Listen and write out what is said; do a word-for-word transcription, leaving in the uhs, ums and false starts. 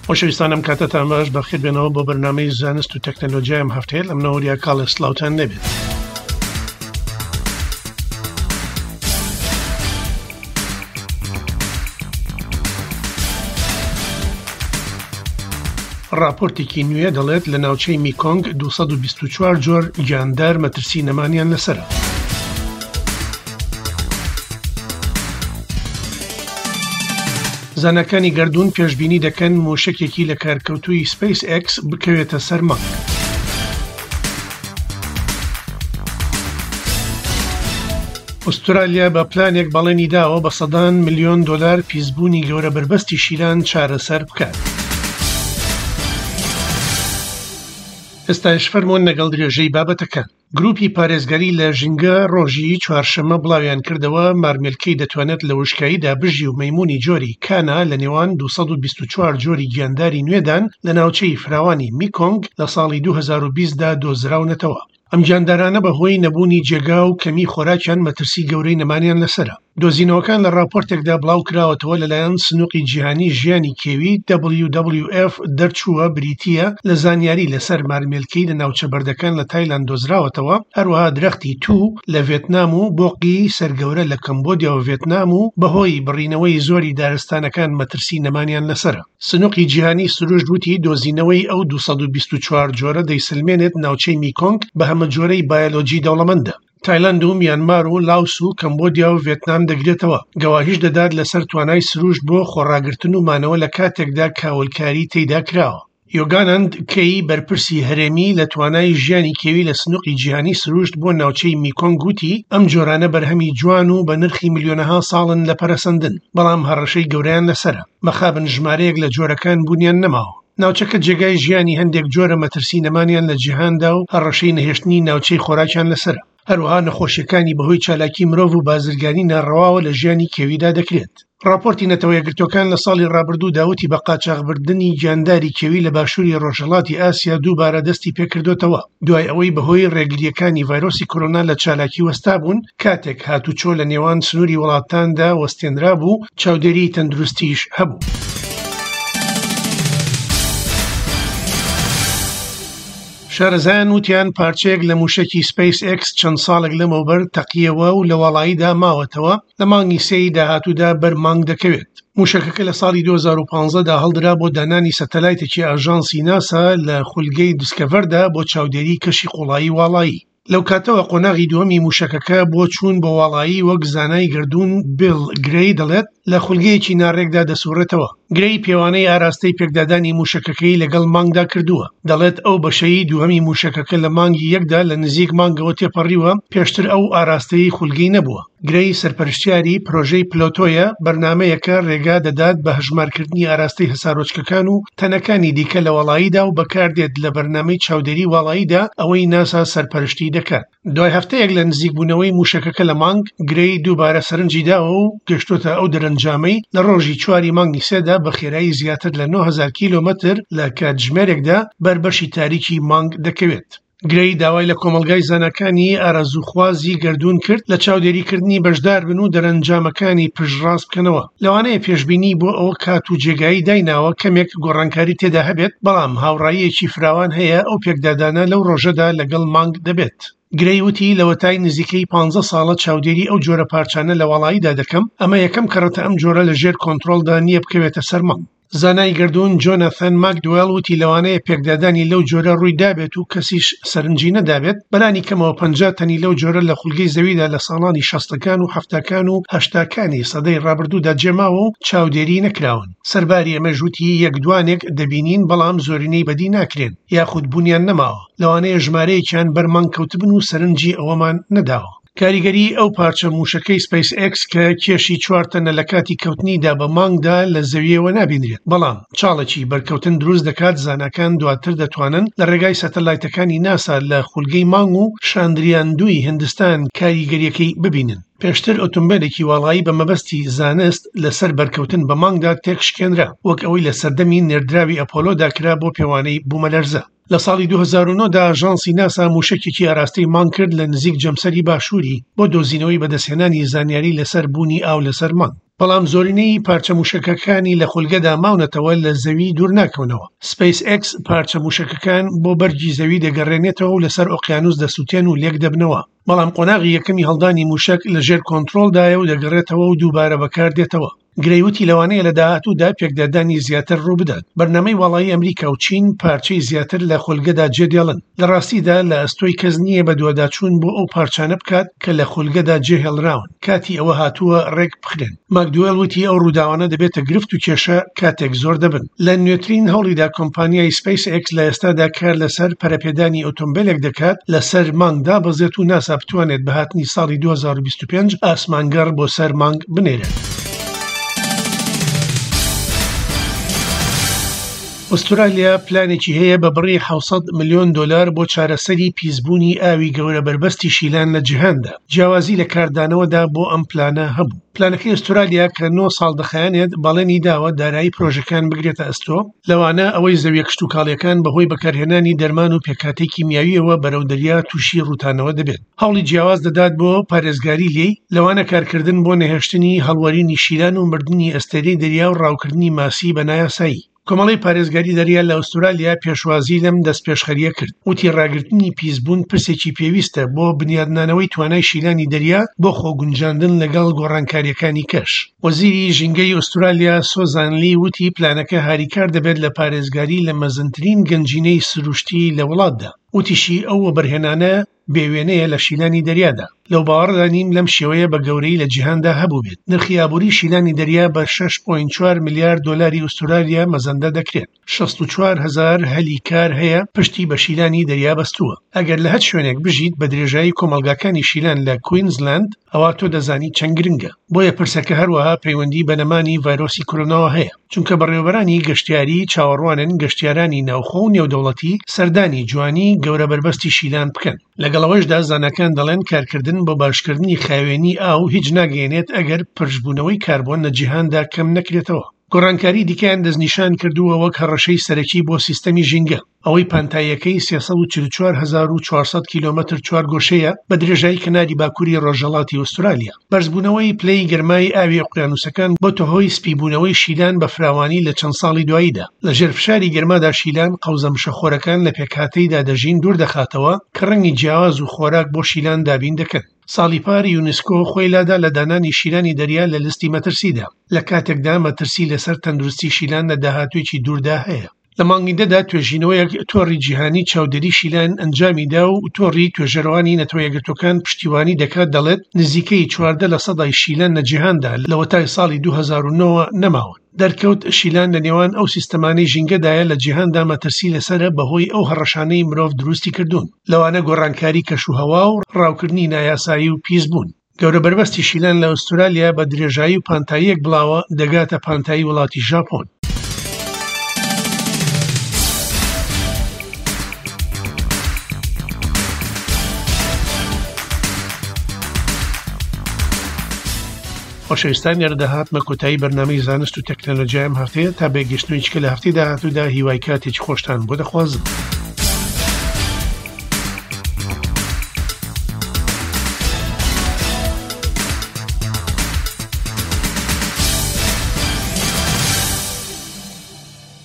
خۆشەویستانم کاتتان باش، بەخێر بێنەوە بۆ بەرنامەی زانست و تەکنەلۆژیای ئەم هەفتەیە. لە منەوە وریا کاڵێ سڵاوتان نەبێت. ڕاپۆرتێکی نوێ دەڵێت لە ناوچەی میکۆنگ دوو سەد و بیست و چوار جۆر گیاندار مەترسی نەمانیان لەسەرە. زاناکانی گەردوون پێشبینی دەکەن موشەکێکی لە کارکەوتووی سپەیس ئێکس بکەوێتە سەر مانگ. ئوسترالیا بە پلانێک بەڵێنی داوە بە سەدان ملیۆن دۆلار پیسبوونی گەورە بەربەستی شیران چارەسەر بکات. ئێستاش فەرمۆن لەگەڵ درێژەی بابەتەکان. گروپی پارێزگاری لە ژینگە ڕۆژی چوارشەممە بڵاویان کردەوە مارمێلکەی دەتوانێت لە وشکاییدا بژی و مەیمونی جۆری کانا لە نێوان دوو سەد و بیست و چوار جۆری گیانداری نوێدان لە ناوچەی فراوانی میکۆنگ لە ساڵی دوو هەزار و بیست دا دۆزراونەتەوە. ئەم گیاندارانە بەهۆی نەبوونی جێگا و کەمی خۆراکیان مەترسی گەورەی نەمانیان لەسەرە. دۆزینەوەکان لە راپۆرتێکدا بڵاو کراوەتەوە لەلایەن سنووقی جیهانی ژیانی کێوی دبلیو دبلیو ئێف دەرچووە، بریتییە لە زانیاری لەسەر مارمێلکەی لە ناوچە بەردەکان لە تایلاند دۆزراوەتەوە، هەروەها درەختی توو لە ڤێتنام و بۆقی سەرگەورە لە کەمبۆدیا و ڤێتنام و بەهۆی بڕینەوەی زۆری دارستانەکان مەترسی نەمانیان لەسەرە. سنووقی جیهانی سروشت وتی دۆزینەوەی ئەو دوو سەد و بیست و چوار جۆرە دەیسلمێنێت ناوچەی میکۆنگ بە هەمە جۆرەی بایۆلۆجی دەوڵەمەندە. تایلند و میانمار و لاوس و کەمبۆدیا و ڤێتنام دەگرێتەوە. گەواهیش دەدات لەسەر توانای سروشت بۆ خۆڕاگرتن و مانەوە لە کاتێکدا کاولکاری تێیدا کراوە. یۆگانند کەی بەرپرسی هەرێمی لە توانای ژیانی کێوی لە سنووقی جیهانی سروشت بۆ ناوچەی میکۆنگ وتی ئەم جۆرانە بەرهەمی جوان و بە نرخی ملیۆنەها ساڵن لە پەرەسەندن، بەڵام هەڕەشەی گەورەیان لەسەرە. مەخابن ژمارەیەک لە جۆرەکان بوونیان نەماوە. ناوچەکە جێگای ژیانی هەندێک جۆرە مەترسی نەمانیان لە جیهاندا و هەڕەشەی نەهێشتنی ناوچەی خۆراکیان لەسەرە. هەروەها نەخۆشیەکانی بەهۆی چالاکی مرۆڤ و بازرگانی ناڕەواوە لە ژیانی کێویدا دەکرێت. راپۆرتی نەتەوە یەکگرتووەکان لە ساڵی ڕابردوو داوتی بە قاچاخبردنی گیانداری کێوی لە باشووری ڕۆژهەڵاتی ئاسیا دووبارە دەستی پێکردوتەوە، دوای ئەوەی بەهۆی ڕێگریەکانی ڤایرۆسی کۆرۆنا لە چالاکی وەستا بوون، کاتێک هاتوچۆ لە نێوان سنووری وڵاتاندا وەستێنرا بوو، چاودێری تەندروستیش هەبوو. شارەزایان وتیان پارچەیەک لە موشەکی سپەیس ئێکس چەند ساڵێک لەمەوبەر تەقیەوە و لە واڵاییدا ماوەتەوە، لە مانگی سێی داهاتوودا بەر مانگ دەکەوێت. موشەکەکە لە ساڵی دوو هەزار و پانزەدا هەڵدرا بۆ دانانی سەتەلایتێکی ئاژانسی ناسا لە خولگەی دیسکەڤەردا بۆ چاودێری کەشی قوڵایی واڵایی. لەو کاتەوە قۆناغی دووەمی موشەکەکە بۆ چوون بۆ واڵایی وەک زانای گەردوون بیل گرەی دەڵێت لە خولگەیەکی ناڕێکدا دەسوڕێتەوە. گرەی پێوانەی ئاراستەی پێکدادانی موشەکەکەی لەگەڵ مانگدا کردووە. دەڵێت ئەو بەشەی دووەمی موشەکەکە لە مانگی یەکدا لە نزیک مانگەوە تێپەڕیوە، پێشتر ئەو ئاراستەی خولگەی نەبووە. گرەی سەرپەرشتیاری پرۆژەی پلۆتۆیە، بەرنامەیەکە ڕێگا دەدات بە هەژمارکردنی ئاراستەی هەسارۆچکەکان و تەنەکانی دیکە لە واڵاییدا و بەکاردێت لە بەرنامەی چاودێری واڵاییدا ئەوەی ناسا سەرپەرشتی دەکات. دوای هەفتەیەک لە نزیکبوونەوەی موشەکەکە لە مانگ، گرەی دووبارە سەرنجی داوە و گەشتۆتە ئەو دەرەنجامەی لە ڕۆژی چواری مانگی سێدا بە خێرایی زیاتر لە نۆ هەزار کیلۆمەتر لە کاتژمێرێکدا بەر بەشی تاریکی مانگ دەکەوێت. گرەی داوای لە کۆمەلگای زاناکانی ئارەزووخوازی گەردوون کرد لە چاودێریکردنی بەشدار بن و دەرەنجامەکانی پشتڕاست بکەنەوە. لەوانەیە پێشبینی بۆ ئەوە کات و جێگایی دایناوە کەمێک گۆڕانکاری تێدا هەبێت، بەڵام هاوڕاییەکی فراوان هەیە ئەو پێکدادانە لەو ڕۆژەدا لەگەڵ مانگ دەبێت. گرەی وتی لەوەتای نزیکەی پانزە ساڵە چاودێری ئەو جۆرە پارچانە لە واڵاییدا دەکەم، ئەمە یەکەم کەڕەتە ئەم جۆرە لە ژێر کۆنترۆڵدا نییە بکەوێتە سەر مانگ. زانای گەردوون جۆناثان ماکدوێڵ وتی لەوانەیە پێکدادانی لەو جۆرە ڕووی دابێت و کەسیش سەرنجی نەدابێت، بەلانی کەمەوە پەنجا تەنی لەو جۆرە لە خولگەی زەویدا لە ساڵانی شەستەکان و حەفتاکان و هەشتاکانی سەدەی ڕابردوودا جێماوە و چاودێری نەکراون. سەرباری ئەمەش وتی یەک دوانێک دەبینین بەڵام زۆرینەی بەدی ناکرێن یاخود بوونیان نەماوە، لەوانەیە ژمارەیەکیان بەر مانگ کەوتبن و سەرنجی ئەوەمان نەداوە. کاریگەری ئەو پارچە موشەکەی سپەیس ئێکس کە کێشی چوار تەنە لە کاتی کەوتنیدا بە مانگدا لە زەویەوە نابینرێت، بەڵام چاڵێکی بەرکەوتن دروست دەکات. زاناکان دواتر دەتوانن لە ڕێگای سەتەلایتەکانی ناسا لە خولگەی مانگ و شاندریان دووی هندستان کاریگەریەکەی ببینن. پێشتر ئۆتۆمبیلێکی واڵایی بە مەبەستی زانست لەسەر بەرکەوتن بە مانگدا تێکشکێنرا، وەک ئەوەی لە سەردەمی نێردراوی ئەپۆلۆدا کرا بۆ پێوانەی بوومەلەرزە. لە ساڵی دوو هەزار و نۆ دا ئاژانسی ناسا موشەکێکی ئاراستەی مانگ کرد لە نزیک جەمسەری باشووری بۆ دۆزینەوەی بەدەستهێنانی زانیاری لەسەر بوونی ئاو لەسەر مانگ. بەڵام زۆرینەی پارچە موشەکەکانی لە خولگەدا ماونەتەوە لە زەوی دوور ناکەونەوە. سپەیس ئێکس پارچە موشەکەکان بۆ بەرگی زەوی دەگەڕێنێتەوە و لەسەر ئۆقیانوس دەسووتێن و لێک دەبنەوە. بەڵام قۆناغی یەکەمی هەڵدانی موشەک لەژێر کۆنترۆڵدایە و دەگەڕێتەوە و دووبارە بەکاردێتەوە. گرەی وتی لەوانەیە لە داهاتوودا پێکدادانی زیاتر ڕووبدات. بەرنامەی واڵایی ئەمریکا و چین پارچەی زیاتر لە خولگەدا جێدێڵن. لە ڕاستیدا لە ئەستۆی کەس نییە بە دوواداچوون بۆ ئەو پارچانە بکات کە لە خولگەدا جێهێڵراون. کاتی ئەوە هاتووە ڕێک بخرێن. ماکدوێل وتی ئەو ڕووداوانە دەبێتە گرفت و کێشە کاتێک زۆر دەبن. لە نوێترین هەوڵیدا کۆمپانیای سپەیس ئێکس لە ئێستادا کار لەسەر پەرەپێدانی ئۆتۆمبیلێک دەکات لەسەر مانگ دابەزێت و ناسا بتوانێت بە هاتنی ساڵی دوو هەزار و بیست و پێنج ئاسمانگەڕ بۆ سەر مانگ بنێرێت. ئوسترالیا پلانێکی هەیە بە بڕی حەوت سەد ملیۆن دلار بۆ چارەسەری پیسبوونی ئاوی گەورە بەربەستی شیلان لە جیهاندا. جیاوازی لە کاردانەوەدا بۆ ئەم پلانە هەبوو. پلانەکەی ئوسترالیا کە نۆ ساڵ دەخایەنێت بەڵێنی داوە دارایی پرۆژەکان بگرێتە ئەستۆ، لەوانە ئەوەی زەویە کشتوکاڵیەکان بەهۆی بەکارهێنانی دەرمان و پێکهاتەی کیمیاویەوە بەرەو دەریا تووشی ڕووتانەوە دەبێت. هەوڵی جیاواز دەدات بۆ پارێزگاری لێی، لەوانە کارکردن بۆ نەهێشتنی هەڵوەرینی شیلان و مردنی ئەستێرەی دەریا و ڕاوکردنی ماسی بە نایاسایی. کۆمەڵەی پارێزگاری دەریا لە ئوسترالیا پێشوازی لەم دەستپێشخەریە کرد. وتی ڕاگرتنی پیسبوون پرسێکی پێویستە بۆ بنیادنانەوەی توانای شیلانی دەریا بۆ خۆگونجاندن لەگەڵ گۆڕانکاریەکانی کەش. وەزیری ژینگەی ئوسترالیا سۆزان لی وتی پلانەکە هاریکار دەبێت لە پارێزگاری لە مەزنترین گەنجینەی سروشتی لە وڵاتدا. وتیشی ئەو وەبەرهێنانە بێوێنەیە لە شیلانی دەریادا. لەو باوەڕدا نیم لەم شێوەیە بە گەورەی لە جیهاندا هەبوو بێت. نرخی ئابووری شیلانی دەریا بە شەش پۆینت چوار ملیار دلاری ئوسترالیا مەزەندە دەکرێت. شەست و چوار هەزار هەلی کار هەیە پشتی بە شیلانی دەریا بەستووە. ئەگەر لە هەر شوێنێک بژیت بە درێژایی کۆمەلگاکانی شیلان لە کوینزلاند، ئەوە تۆ دەزانی چەند گرنگە. بۆیە پرسەکە هەروەها پەیوەندی بە نەمانی ڤایرۆسی کۆرۆناوە هەیە، چونکە بەڕێوەبەرانی گەشتیاری چاوەڕوانن گەشتیارانی ناوخۆ و نێودەوڵەتی سەردانی جوانی گەورە بەربەستی شیلان بکەن. لەگەڵ ئەوەشدا زاناکان دەڵێن کارکردن بۆ باشکردنی خاوێنی ئاو هیچ ناگەیەنێت ئەگەر پرشبوونەوەی کاربۆن لە جیهاندا کەم نەکرێتەوە. گۆڕانکاری دیکەیان دەستنیشان کردووە وەک هەڕەشەی سەرەکی بۆ سیستەمی ژینگە. ئەوەی پانتاییەکەی سێ سەد و چل و چوار هەزار و چوار سەد کیلۆمەتر چوارگۆشەیە بە درێژایی کەناری باکووری ڕۆژهەڵاتی ئوسترالیا. بەرزبوونەوەی پلەی گەرمای ئاوی ئۆقیانوسەکان بۆتە هۆی سپیبوونەوەی شیلان بە فراوانی لە چەند ساڵی دواییدا. لەژێر فشاری گەرمادا شیلان قەوزە مشەخۆرەکان لە پێکهاتەیدا دەژین دوور دەخاتەوە کە ڕەنگی جیاواز و خۆراک بۆ شیلان دابین دەکەن. ساڵی پار یونسکۆ خۆی لادا لە دانانی شیلانی دەریا لە لیستی مەترسیدا، لە کاتێکدا مەترسی لەسەر تەندروستی شیلان لە داهاتوویەکی دووردا هەیە. لە مانگی دەدا توێژینەوەیەک تۆڕی جیهانی چاودێری شیلان ئەنجامیدا و تۆڕی توێژەرەوانی نەتەوە یەکگرتووەکان پشتیوانی دەکات، دەڵێت نزیکەی چواردە لە سەدای شیلان لە جیهاندا لەوەتای ساڵی دوو هەزار و نۆ نەماون. دەرکەوت شیلان لە نێوان ئەو سیستەمانەی ژینگەدایە لە جیهاندا مەترسی لەسەرە بەهۆی ئەو هەڕەشانەی مرۆڤ دروستی کردوون، لەوانە گۆڕانکاری کەشوهەوا و ڕاوکردنی نایاسایی و پیسبوون. گەورە بەربەستی شیلان لە ئوسترالیا بە درێژایی و پانتاییەک بڵاوە دەگاتە پانتایی وڵاتی ژاپۆن. خۆشەویستان، لێرە دەهاتمە کۆتایی بەرنامەی زانست و تەکنەلۆژیایم هەفتەیە. تا بێگەشتنەوەی چکە لە هەفتەی داهاتوودا هیوای کاتێکی خۆشتان بۆ دەخوازم.